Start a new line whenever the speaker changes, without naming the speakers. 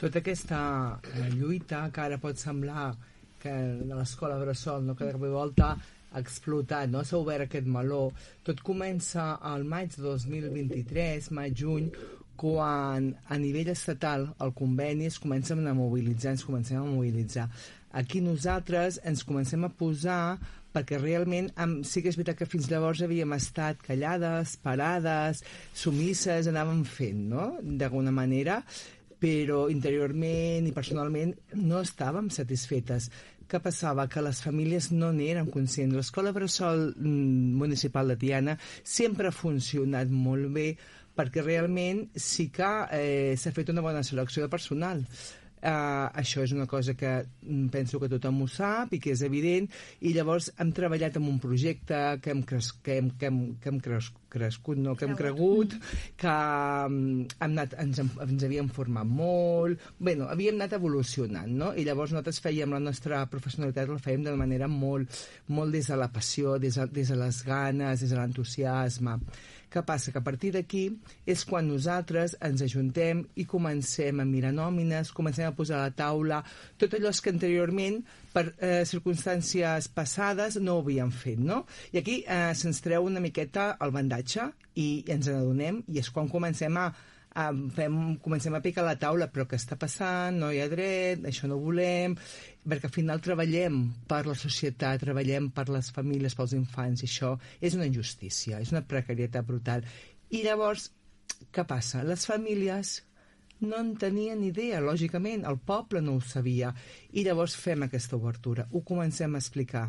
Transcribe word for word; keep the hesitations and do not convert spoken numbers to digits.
Tota aquesta eh, lluita, que ara pot semblar que de l'escola Bressol, no, que de cop i volta ha explotat, no? S'ha obert aquest meló. Tot comença al maig de dos mil vint-i-tres, maig-juny, quan a nivell estatal el conveni es comencen a mobilitzar, ens comencem a mobilitzar. Aquí nosaltres ens comencem a posar perquè realment amb, sí que és veritat que fins llavors havíem estat callades, parades, sumisses, anàvem fent, no?, d'alguna manera, però interiorment i personalment no estàvem satisfetes. Què passava? Que les famílies no n'eren conscients. L'escola Bressol municipal de Tiana sempre ha funcionat molt bé perquè realment sí que eh, s'ha fet una bona selecció de personal. Uh, això és una cosa que penso que tothom ho sap i que és evident, i llavors hem treballat en un projecte que hem, cres que hem, que hem, que hem cres crescut, no, que hem cregut, que um, hem anat, ens, ens havíem format molt, bé, no, havíem anat evolucionant, no? I llavors nosaltres fèiem la nostra professionalitat, la fèiem de manera molt, molt des de la passió, des de, des de les ganes, des de l'entusiasme. Què passa? Que a partir d'aquí és quan nosaltres ens ajuntem i comencem a mirar nòmines, comencem a posar a la taula tot allò que anteriorment, per eh, circumstàncies passades, no ho havíem fet, no? I aquí eh, se'ns treu una miqueta el bandatge i ens n'adonem, i és quan comencem a, a fem, comencem a picar la taula, però què està passant? No hi ha dret, això no ho volem, perquè al final treballem per la societat, treballem per les famílies, pels infants, i això és una injustícia, és una precarietat brutal. I llavors, què passa? Les famílies no en tenien idea, lògicament, el poble no ho sabia, i llavors fem aquesta obertura, ho comencem a explicar.